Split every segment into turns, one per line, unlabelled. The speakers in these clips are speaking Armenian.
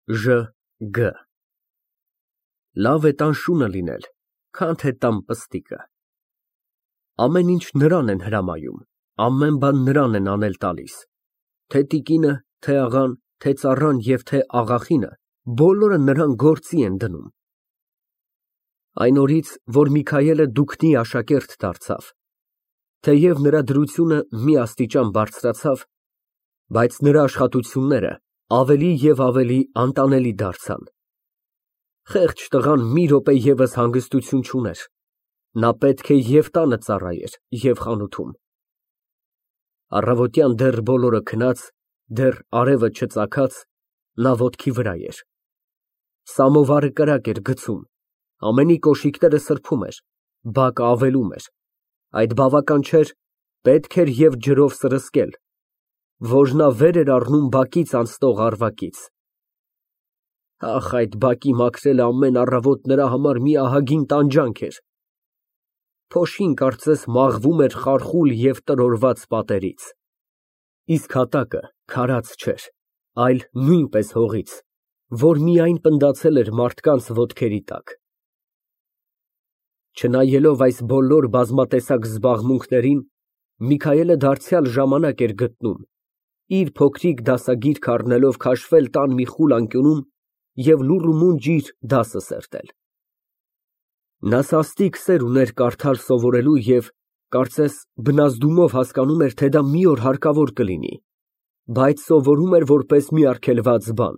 Ժ Գ Լավ է տան շունը լինել, քան թե տան պստիկը։ Ամեն ինչ նրան են հրամայում, ամեն բան նրան են անել տալիս, թե տիկինը, թե աղան, թե ծառան և թե աղախինը, բոլորը նրան գործի են դնում։ Այն օրից, որ Միքայելը դուքնի աշակերտ դարձավ, թեև նրա դրությունը մի աստիճան բարձրացավ, բայց նրա աշխատությունները ավելի և ավելի անտանելի դարձան։ Խեղճ տղան մի րոպե ևս հանգստություն չուներ, նա պետք է և տանը ծառայեր, և խանութում։ Առավոտյան դեռ բոլորը քնած, դեռ արևը չծագած, նա ոտքի վրա էր։ Սամովարը կրակ էր գցում, ամենի կոշիկները սրբում էր, բակը ավելում էր, այդ բավական չէր, պետք էր և ջրով սրսկել, որ նա վեր էր առնում բակից անցնող առվակից։ Ախ, այդ բակի մաքրելը ամեն առավոտ նրա համար մի ահագին տանջանք էր։ Փոշին կարծես մաղվում էր խարխուլ և տրորված պատերից, իսկ հատակը քարած չէր, այլ նույնպես հողից, որ միայն պնդացել էր մարդկանց ոտքերի տակ։ Չնայելով այս բոլոր բազմատեսակ զբաղմունքներին, Միքայելը դարձյալ ժամանակ էր գտնում, իր փոքրիկ դասագիրքը առնելով քաշվել տան մի խուլ անկյունում և լուռ ու մունջ իր դասը սերտել։ Նա սաստիկ սեր ուներ կարդալ սովորելու և, կարծես, բնազդումով հասկանում էր, թե դա մի օր հարկավոր կլինի, բայց սովորում էր որպես մի արգելված բան։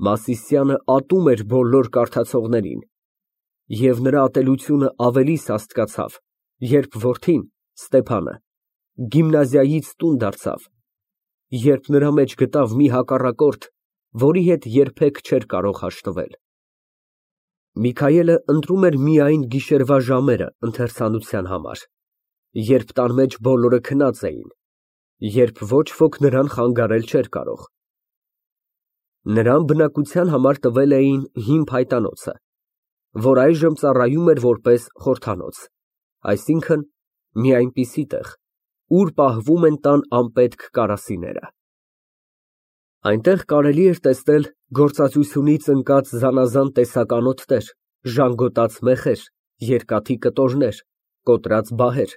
Մասիսյանը ատում էր բոլոր կարդացողներին, և նրա ատելությունը ավելի սաստկացավ, երբ որդին՝ Ստեփանը, գիմնազիայից տուն դարձավ, երբ նրա մեջ գտավ մի հակառակորդ, որի հետ երբեք չէր կարող հաշտվել։ Միքայելը ընտրում էր միայն գիշերվա ժամերը ընթերցանության համար, երբ տան մեջ բոլորը քնած էին, երբ ոչ ոք նրան խանգարել չէր կարող։ Նրան բնակության համար տվել էին հին փայտանոցը, որ այժմ ծառայում էր որպես խորհրդանոց, այսինքն՝ մի այնպիսի տեղ, ուր պահվում են տան անպետք կարասիները։ Այնտեղ կարելի էր տեսնել գործածությունից ընկած զանազան տեսականոթներ, ժանգոտած մեխեր, երկաթի կտորներ, կոտրած բահեր,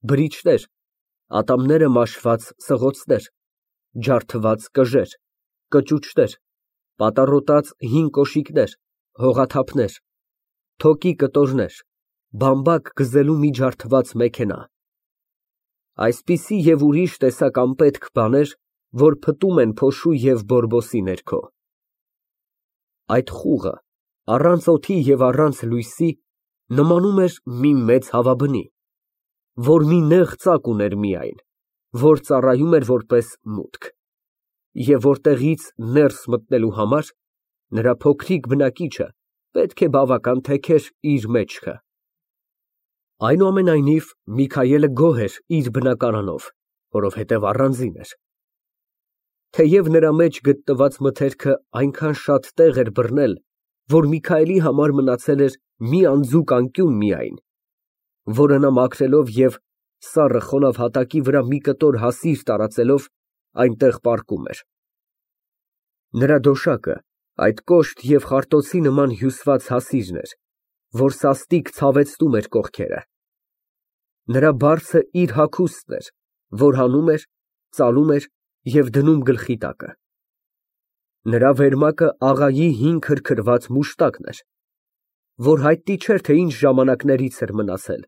բրիչներ, ատամները մաշված սղոցներ, ջարդված կժեր, կճուճներ, պատառոտած հին կոշիկներ, հողաթափներ, թոկի կտորներ, բամբակ գզելու մի ջարդված մեքենա, այսպիսի և ուրիշ տեսակ անպետք բաներ, որ փտում են փոշու և բորբոսի ներքո։ Այդ խուղը, առանց օդի և առանց լույսի, նմանում էր մի մեծ հավաբնի, որ մի նեղ ծակ ուներ միայն, որ ծառայում էր որպես մուտք, և որտեղից ներս մտնելու համար նրա փոքրիկ բնակիչը պետք է բավական թեքեր իր մեջքը։ Այնուամենայնիվ, Միքայելը գոհ էր իր բնակարանով, որովհետև առանձին էր։ Թեև նրա մեջ գտնված մթերքը այնքան շատ տեղ էր բռնել, որ Միքայելի համար մնացել էր մի անձուկ անկյուն միայն, որը նա մաքրելով և սառը խոնավ հատակի վրա մի կտոր հասիր տարածելով, այնտեղ պառկում էր։ Նրա դոշակը այդ կոշտ և խարտոցի նման հյուսված հասիրն էր, որ սաստիկ ցավեցնում էր կողքերը։ Նրա բարձը իր հագուստն էր, որ հանում էր, ծալում էր և դնում գլխի տակը։ Նրա վերմակը աղայի հին քրքրված մուշտակն էր, որ հայտնի չէր, թե ինչ ժամանակներից էր մնացել,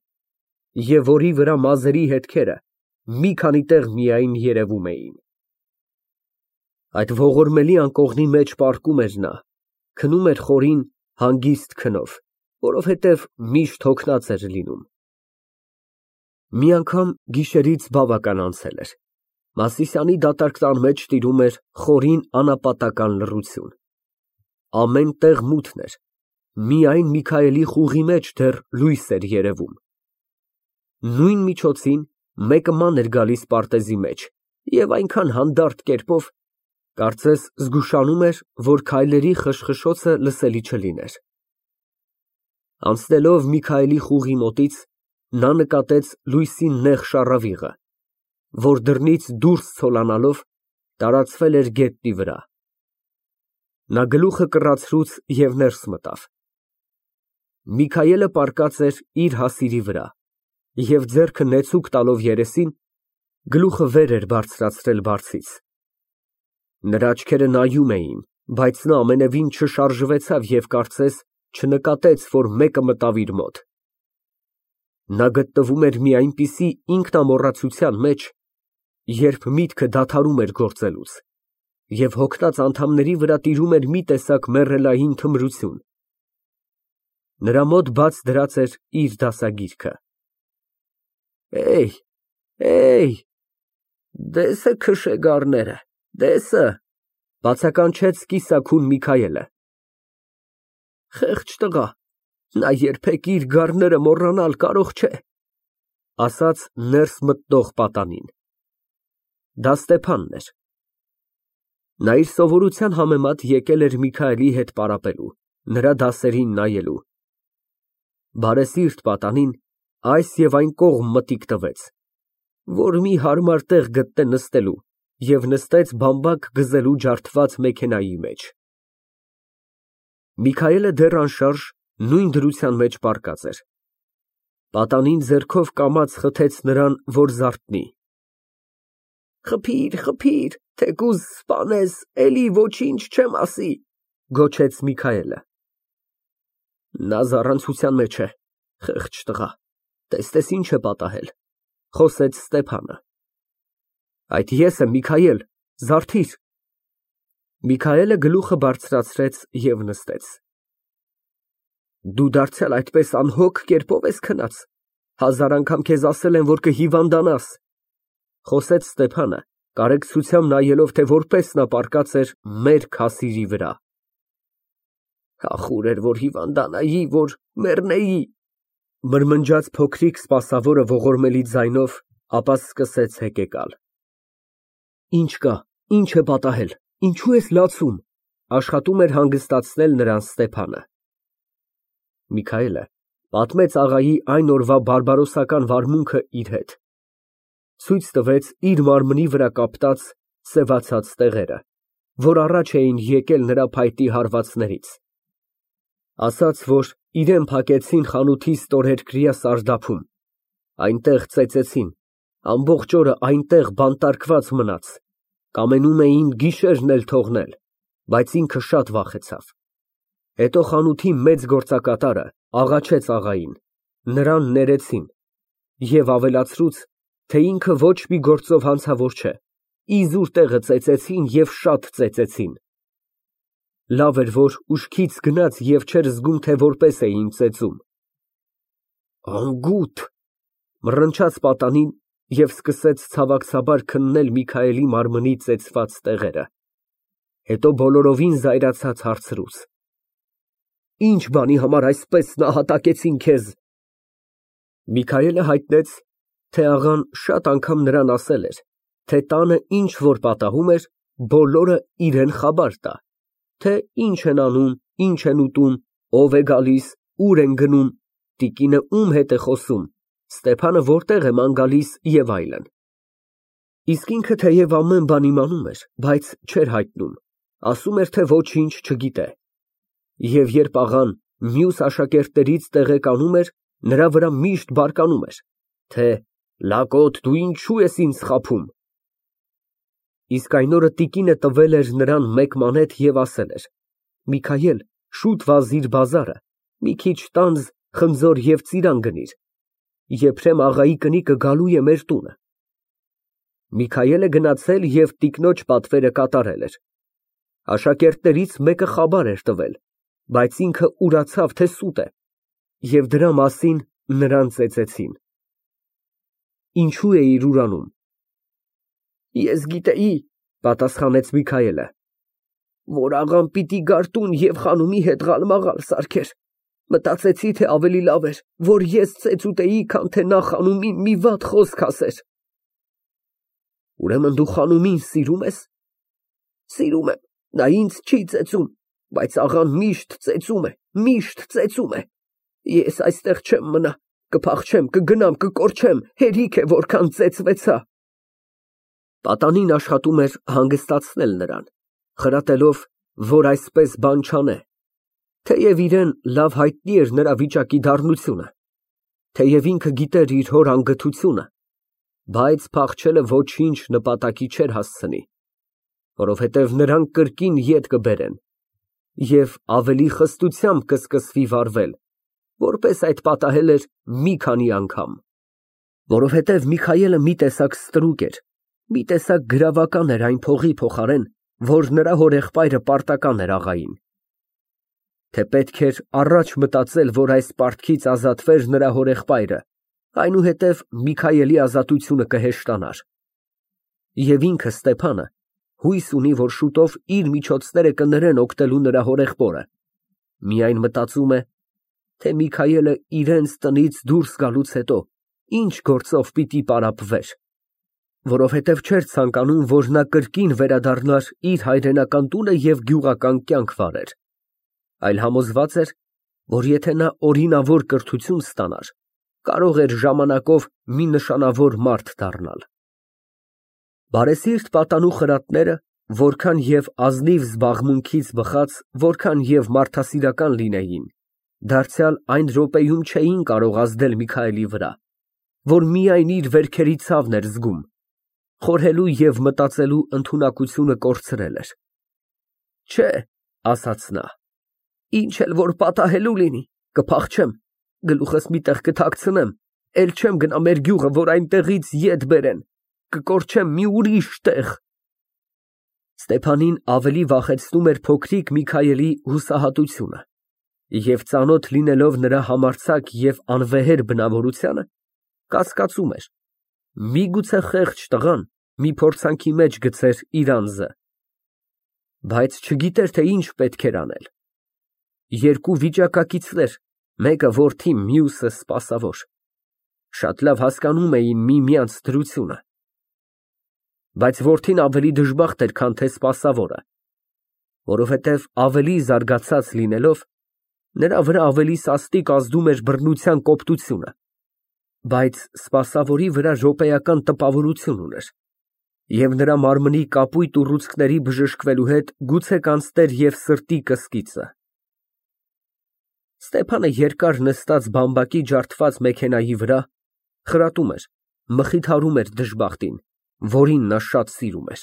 և որի վրա մազերի հետքերը մի քանի տեղ միայն երևում էին։ Այդ ողորմելի անկողնի մեջ պառկում էր նա, քնում էր խորին հանգիստ քնով, որովհետև միշտ հոգնած էր լինում։ Մի անգամ գիշերից բավական անցել էր, Մասիսյանի դատարկ տան մեջ տիրում էր խորին անապատական լռություն։ Ամեն տեղ մութն էր, միայն Միքայելի խուղի մեջ դեռ լույս էր երևում։ Նույն միջոցին մեկը ման էր գալիս պարտեզի մեջ և այնքան հանդարտ կերպով, կարծես զգուշանում էր, որ քայլերի խշխշոցը լսելի չլիներ։ Անցնելով Միքայելի խուղի մոտից, նա նկատեց լույսի նեղ շառավիղը, որ դռնից դուրս ցոլանալով տարածվել էր գետնի վրա։ Նա գլուխը կռացրուց և ներս մտավ։ Միքայելը պառկած էր իր հասիրի վրա և ձեռքը նեցուկ տալով երեսին, գլուխը վեր էր բարձրացրել բարձից։ Նրա աչքերը նայում էին, բայց նա ամենևին չշարժվեցավ և կարծես չնկատեց, որ մեկը մտավ իր մոտ։ Նա գտնվում էր մի այնպիսի ինքնամոռացության մեջ, երբ միտքը դադարում էր գործելուց, և հոգնած անդամների վրա տիրում էր մի տեսակ մեռելային թմրություն։ Նրա մոտ բաց դրած էր իր դասագիրքը։ Դեսը քշեգարները, դեսը, բացականչեց կիսաքուն Միքայելը։ Խեղճ տղա, նա երբեք իր գառները մոռանալ կարող չէ, ասաց ներս մտնող պատանին։ Դա Ստեփանն էր։ Նա իր սովորության համեմատ եկել էր Միքայելի հետ պարապելու, նրա դասերին նայելու։ Բարեսիրտ պատանին այս և այն կողմ մտիկ տվեց, որ մի հարմար տեղ գտնե նստելու և նստեց բամբակ գզելու ջարդված մեքենայի մեջ։ Միքայելը դեռ անշարժ նույն դրության մեջ պառկած էր։ Պատանին ձեռքով կամաց խթեց նրան, որ զարթնի։ Խփիր, թեկուզ սպանես, էլի ոչինչ չեմ ասի, գոչեց Միքայելը։ Նա զառանցության մեջ է, խեղճ տղա, տեսնես ինչ է պատահել, խոսեց Ստեփանը։ Այդ ես եմ, Միքայել, զարթիր։ Միքայելը գլուխը բարձրացրեց և նստեց։ Դու դարձյալ այդպես անհոգ կերպով ես քնած, հազար անգամ քեզ ասել եմ, որ կհիվանդանաս, խոսեց Ստեփանը, կարեկցությամբ նայելով, թե որպես նա պառկած էր մերկ հասիրի վրա։ Ախուր էր, որ հիվանդանայի, որ մեռնեի, մրմնջաց փոքրիկ սպասավորը ողորմելի ձայնով, ապա սկսեց հեկեկալ։ Ինչ կա, ինչ է պատահել, ինչու ես լացում, աշխատում էր հանգստացնել նրան Ստեփանը։ Միքայելը պատմեց աղայի այն օրվա բարբարոսական վարմունքը իր հետ։ Ցույց տվեց իր մարմնի վրա կապտած, սևացած տեղերը, որ առաջ էին եկել նրա փայտի հարվածներից։ Ասաց, որ իրան փակեցին խանութի ստորերկրյա սարդափում, այնտեղ ծեծեցին, ամբողջ օրը այնտեղ բանտարկված մնաց, կամենում էին գիշերն էլ թողնել, բայց ինքը շատ վախեցավ։ Հետո խանութի մեծ գործակատարը աղաչեց աղային, նրան ներեցին և ավելացրուց, թե ինքը ոչ մի գործով հանցավոր չէ, իզուր տեղը ծեծեցին և շատ ծեծեցին։ Լավ էր, որ ուշքից գնաց և չէր զգում, թե որպես էին ծեծում։ Անգութ, մռնչաց պատանին և սկսեց ցավակցաբար քննել Միքայելի մարմնի ծեծված տեղերը։ Հետո բոլորովին զայրացած հարցրուց. Ինչ բանի համար այսպես նահատակեցին քեզ։ Միքայելը հայտնեց, թե աղան շատ անգամ նրան ասել էր, թե տանը ինչ որ պատահում էր, բոլորը իրան խաբար տա, թե ինչ են անում, ինչ են ուտում, ով է գալիս, ուր են գնում, տիկինը ում հետ է խոսում, Ստեփանը որտեղ է ման գալիս և այլն։ Իսկ ինքը թեև ամեն բան իմանում էր, բայց չէր հայտնում, ասում էր, թե ոչինչ չգիտե։ Եվ երբ աղան մյուս աշակերտներից տեղեկանում էր, նրա վրա միշտ բարկանում էր, թե լակոտ, դու ինչու ես ինձ խաբում։ Իսկ այն օրը տիկինը տվել էր նրան մեկ մանեթ և ասել էր. Միքայել, շուտ վազիր բազարը, մի քիչ տանձ, խնձոր և ծիրան գնիր, եփրեմ աղայի կնիկը գալու է մեր տունը։ Միքայելը գնացել և տիկնոջ պատվերը կատարել էր։ Աշակերտներից մեկը խաբար էր տվել, բայց ինքը ուրացավ, թե սուտ է, և դրա մասին նրան ծեծեցին։ Ինչու էիր ուրանում։ Ես գիտեի, պատասխանեց Միքայելը, որ աղան պիտի գար տուն և խանումի հետ ղալմաղալ սարքեր, մտածեցի, թե ավելի լավ էր, որ ես ծեծուտեի, քան թե նա խանումին մի վատ խոսք ասեր։ Ուրեմն դու խանումին սիրում ես։ Սիրում եմ, նա ինձ չի ծեծում, բայց աղան միշտ ծեծում է, միշտ ծեծում է։ Ես այստեղ չեմ մնա, կփախչեմ, կգնամ, կկորչեմ, հերիք է որքան ծեծվեցա։ Պատանին աշխատում էր հանգստացնել նրան, խրատելով, որ այսպես բան չանե, թեև իրան լավ հայտնի էր նրա վիճակի դառնությունը, թեև ինքը գիտեր իր հոր անգթությունը, բայց փախչելը ոչինչ նպատակի չէր հասցնի, որովհետև նրան կրկին ետ կբերեն և ավելի խստությամբ կսկսվի վարվել, որպես այդ պատահել էր մի քանի անգամ, որովհետև Միքայելը մի տեսակ ստրուկ էր, մի տեսակ գրավական էր այն փողի փոխարեն, որ նրա հորեղբայրը պարտական էր աղային, թե պետք էր առաջ մտածել, որ այս պարտքից ազատվեր նրա հորեղբայրը, այնուհետև Միքայելի ազատությունը կհեշտանար, և ինքը Ստեփանը հույս ունի, որ շուտով իր միջոցները կներեն օգնելու նրա հորեղբորը, միայն մտածում է, թե Միքայելը իրենց տնից դուրս գալուց հետո ինչ գործով պիտի պարապվեր, որովհետև չէր ցանկանում, որ նա կրկին վերադառնար իր հայրենական տունը և գյուղական կյանք վարեր, այլ համոզված էր, որ եթե նա օրինավոր կրթություն ստանար, կարող էր ժամանակով մի նշանավոր մարդ դառնալ։ Բարեսիրտ պատանու խրատները, որքան և ազնիվ զբաղմունքից բխած, որքան և մարդասիրական լինեին, դարձյալ այն րոպեում չէին կարող ազդել Միքայելի վրա, որ միայն իր վերքերի ցավն էր զգում, խորհելու և մտածելու ընդունակությունը կորցրել էր։ Չէ, ասաց նա, ինչ էլ որ պատահելու լինի, կփախչեմ, գլուխս մի տեղ կթաքցնեմ, էլ չեմ գնա մեր գյուղը, որ այնտեղից ետ բերեն, կկորչեմ մի ուրիշ տեղ։ Ստեփանին ավելի վախեցնում էր փոքրիկ Միքայելի հուսահատությունը, և ծանոթ լինելով նրա համարձակ և անվեհեր բնավորությանը, կասկածում էր, միգուցե խեղճ տղան մի փորձանքի մեջ գցեր իր անձը, բայց չգիտեր, թե ինչ պետք էր անել։ Երկու վիճակակիցներ, մեկը որդի, մյուսը սպասավոր, շատ լավ հասկանում էին միմյանց դրությունը, բայց որդին ավելի դժբախտ էր, քան թե սպասավորը, որովհետև ավելի զարգացած լինելով, նրա վրա ավելի սաստիկ ազդում էր բռնության կոպտությունը, բայց սպասավորի վրա րոպեական տպավորություն ուներ, և նրա մարմնի կապույտ ուռուցքների բժշկվելու հետ գուցե կանցներ և սրտի կսկիծը։ Ստեփանը երկար նստած բամբակի ջարդված մեքենայի վրա, խրատում էր, մխիթարում էր դժբախտին, որին նա շատ սիրում էր,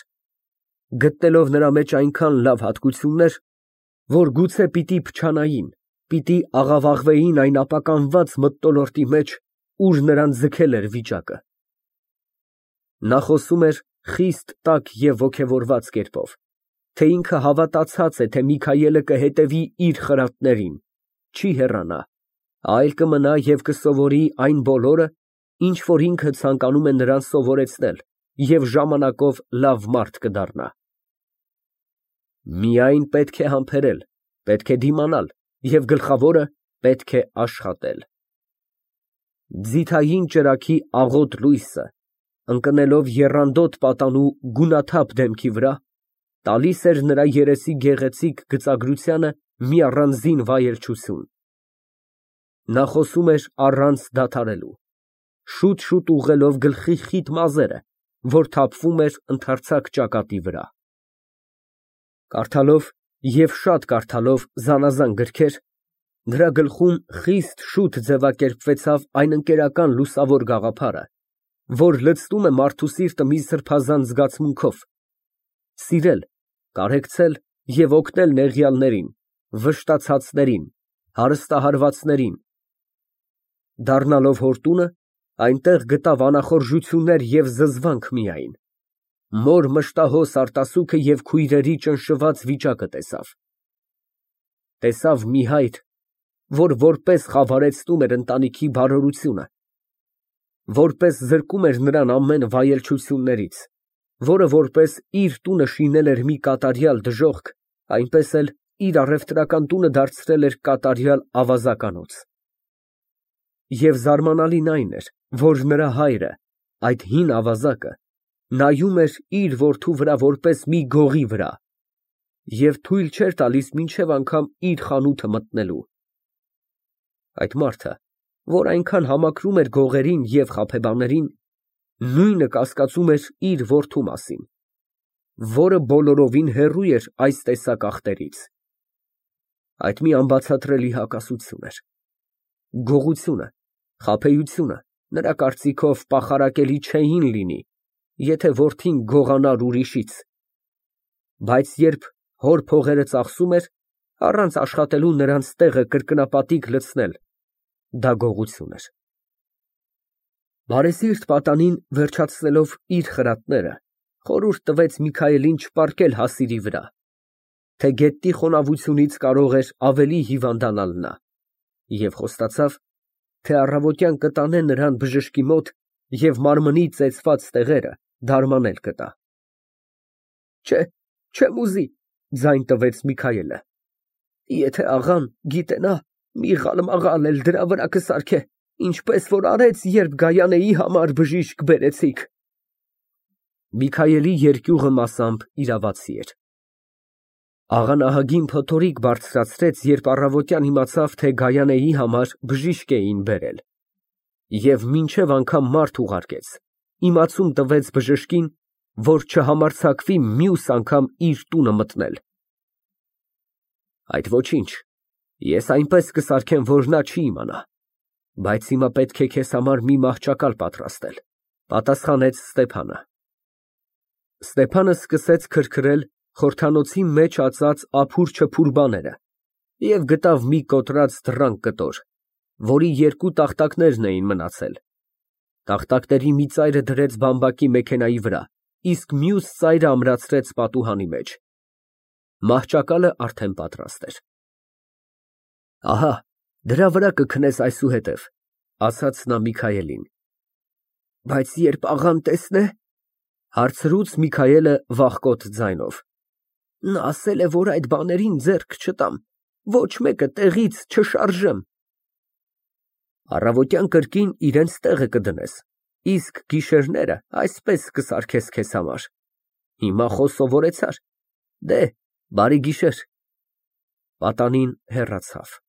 գտնելով նրա մեջ այնքան լավ հատկություններ, որ գուցե պիտի փչանային, պիտի աղավաղվեին այն ապականված մթնոլորտի մեջ, ուր նրան ձգել էր վիճակը։ Նա խոսում էր խիստ տաք և ոգևորված կերպով, թե ինքը հավատացած է, թե Միքայելը կհետևի իր խրատներին, չի հեռանա, այլ կմնա և կսովորի այն բոլորը, ինչ որ ինքը ցանկանում է նրան սովորեցնել և ժամանակով լավ մարդ կդառնա։ Միայն պետք է համբերել, պետք է դիմանալ և գլխավորը պետք է աշխատել։ Ձիթային ճրագի աղոտ լույսը, ընկնելով եռանդոտ պատանու գունաթափ դեմքի վրա, տալիս էր նրա երեսի գեղեցիկ գծագրությանը մի առանձին վայելչություն։ Նա խոսում էր առանց դադարելու, շուտ ուղղելով գլխի խիտ մազերը, որ թափվում էր ընդարձակ ճակատի վրա։ Կարդալով և շատ կարդալով զանազան գրքեր, նրա գլխում խիստ շուտ ձևակերպվեցավ այն ընկերական լուսավոր գաղափարը, որ լցնում է մարդու սիրտը մի սրբազան զգացմունքով, սիրել, կարեկցել և օգնել նեղյալներին, վշտացածներին, հարստահարվածներին։ Դառնալով հոր տունը, այնտեղ գտավ անախորժություններ և զզվանք միայն, մոր մշտահոս արտասուքը և քույրերի ճնշված վիճակը տեսավ։ Տեսավ մի հայր, որ որպես խավարեցնում էր ընտանիքի բարօրությունը, որպես զրկում էր նրան ամեն վայելչություններից, որը որպես իր տունը շինել էր մի կատարյալ դժոխք, այնպես էլ իր առևտրական տունը դարձրել էր կատարյալ ավազականոց։ Եվ զարմանալին այն էր, որ նրա հայրը, այդ հին ավազակը, նայում էր իր որդու վրա որպես մի գողի վրա և թույլ չէր տալիս մինչև անգամ իր խանութը մտնելու։ Այդ մարդը, որ այնքան համակրում էր գողերին և խաբեբաներին, նույնը կասկածում էր իր որդու մասին, որը բոլորովին հեռու էր այս տեսակ ախտերից։ Այդ մի անբացատրելի հակասություն էր։ Գողությունը, խաբեությունը նրա կարծիքով պախարակելի չէին լինի, եթե որդին գողանար ուրիշից, բայց երբ հոր փողերը ծախսում էր, առանց աշխատելու նրանց տեղը կրկնապատիկ լցնել, դա գողություն էր։ Բարեսիրտ պատանին, վերջացնելով իր խրատները, խորհուրդ տվեց Միքայելին չպառկել հասիրի վրա, թե գետնի խոնավությունից կարող էր ավելի հիվանդանալ նա, և խոստացավ, թե առավոտյան կտանե նրան բժշկի մոտ և մարմնի ծեծված տեղերը դարմանել կտա։ Չեմ ուզի, ձայն տվեց Միքայելը, եթե աղան գիտենա, մի ղալմաղալ էլ դրա վրա կսարքե, ինչպես որ արեց, երբ Գայանեի համար բժիշկ բերեցիք։ Միքայելի երկյուղը մասամբ իրավացի էր։ Աղան ահագին փոթորիկ բարձրացրեց, երբ առավոտյան իմացավ, թե Գայանեի համար բժիշկ էին բերել, և մինչև անգամ մարդ ուղարկեց, իմացում տվեց բժշկին, որ չհամարձակվի մյուս անգամ իր տունը մտնել։ Այդ ոչինչ, ես այնպես կսարքեմ, որ նա չի իմանա, բայց հիմա պետք է քեզ համար մի մահճակալ պատրաստել, պատասխանեց Ստեփանը։ Ստեփանը սկսեց քրքրել խորհրդանոցի մեջ ածած ափուր-չփուր բաները և գտավ մի կոտրած դռան կտոր, որի երկու տախտակներն էին մնացել։ Տախտակների մի ծայրը դրեց բամբակի մեքենայի վրա, իսկ մյուս ծայրը ամրացրեց պատուհանի մեջ։ Մահճակալը արդեն պատրաստ էր։ Ահա, դրա վրա կքնես այսուհետև, ասաց նա Միքայելին։ Բայց երբ աղան տեսնե, հարցրուց Միքայելը վախկոտ ձայնով։ Նա ասել է, որ այդ բաներին ձեռք չտամ, ոչ մեկը տեղից չշարժեմ։ Առավոտյան կրկին իրենց տեղը կդնես, իսկ գիշերները այսպես կսարքես քեզ համար։ Հիմա սովորեցար։ Դե, բարի գիշեր։ Պատանին հեռացավ։